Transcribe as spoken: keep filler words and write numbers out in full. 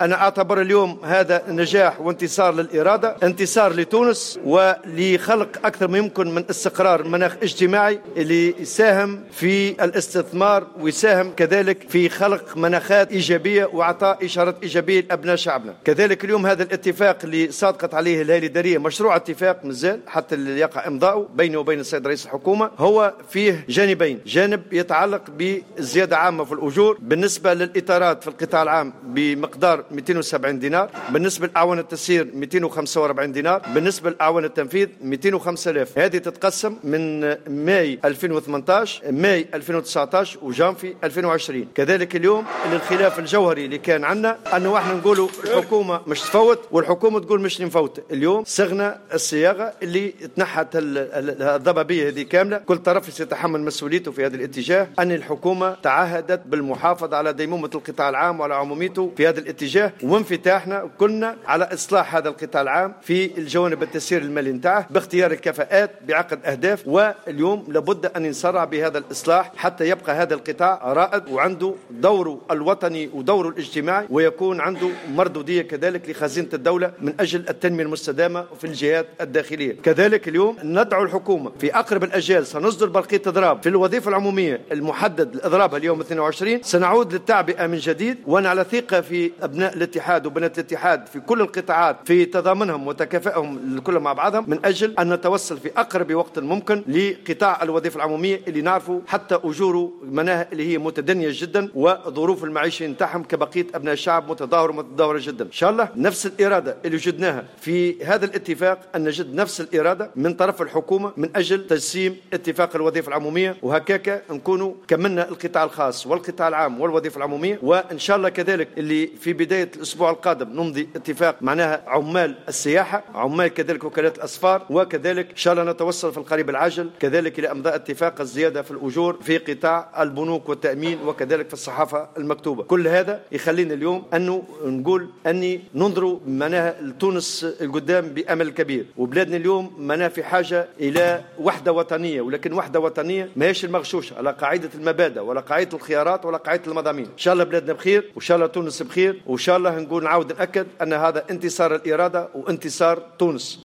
أنا أعتبر اليوم هذا نجاح وانتصار للإرادة، انتصار لتونس ولخلق أكثر ما يمكن من استقرار مناخ اجتماعي اللي يساهم في الاستثمار ويساهم كذلك في خلق مناخات إيجابية وإعطاء إشارات إيجابية لأبناء شعبنا. كذلك اليوم هذا الاتفاق اللي صادقت عليه الهيئة الإدارية، مشروع اتفاق مازال حتى اللي يقع إمضاؤه بينه وبين السيد رئيس الحكومة، هو فيه جانبين، جانب يتعلق بزيادة عامة في الأجور بالنسبة للإطارات في القطاع العام بمقدار مئتين وسبعين دينار، بالنسبة لأعوان التسيير مئتين وخمسة وأربعين دينار، بالنسبة لأعوان التنفيذ مئتين وخمسة آلاف. هذه تتقسم من ماي ألفين وثمانطاش، ماي ألفين وتسعطاش وجانفي ألفين وعشرين. كذلك اليوم الخلاف الجوهري اللي كان عندنا أنه احنا نقولوا الحكومة مش تفوت والحكومة تقول مش نفوت. اليوم صغنا الصياغة اللي تنحت الضبابية هذه كاملة، كل طرف سيتحمل مسؤوليته في هذا الاتجاه. أن الحكومة تعهدت بالمحافظة على ديمومة القطاع العام وعلى عموميته في هذا الاتجاه، وانفتاحنا كلنا على إصلاح هذا القطاع العام في الجوانب التسيير المالي نتاعه باختيار الكفاءات بعقد أهداف. واليوم لابد أن نسرع بهذا الإصلاح حتى يبقى هذا القطاع رائد وعنده دوره الوطني ودوره الاجتماعي، ويكون عنده مردودية كذلك لخزينة الدولة من أجل التنمية المستدامة في الجهات الداخلية. كذلك اليوم ندعو الحكومة في أقرب الأجال سنصدر برقية إضراب في الوظيفة العمومية المحدد الإضراب اليوم اثنين وعشرين، سنعود للتعبئة من جديد، وأنا على ثقة في أبناء الاتحاد وبنات الاتحاد في كل القطاعات في تضامنهم وتكافئهم الكل مع بعضهم من أجل أن نتوصل في أقرب وقت ممكن لقطاع الوظيفة العمومية اللي نعرفه حتى أجوره مناها اللي هي متدنية جدا وظروف المعيشة نتاعهم كبقية أبناء الشعب متدهورة متدهورة جدا. إن شاء الله نفس الإرادة اللي وجدناها في هذا الاتفاق أن نجد نفس الإرادة من طرف الحكومة من أجل تجسيم اتفاق الوظيفة العمومية، وهكاك نكونوا كملنا القطاع الخاص والقطاع العام والوظيفة العمومية. وإن شاء الله كذلك اللي في بداية الأسبوع القادم نمضي اتفاق معناها عمال السياحة، عمال كذلك وكالات الأسفار، وكذلك إن شاء الله نتوصل في القريب العاجل كذلك إلى إمضاء اتفاق الزيادة في الأجور في قطاع البنوك والتأمين وكذلك في الصحافة المكتوبة. كل هذا يخلينا اليوم أنه نقول أني ننظر معناها لتونس القدام بأمل كبير، وبلادنا اليوم معناها في حاجة إلى وحدة وطنية، ولكن وحدة وطنية ماهيش المغشوشة على قاعدة المبادئ ولا قاعدة الخيارات ولا قاعدة المضامين. إن شاء الله بلادنا بخير، وإن شاء الله تونس بخير، وإن شاء الله نقول نعاود نأكد أن هذا انتصار الإرادة وانتصار تونس.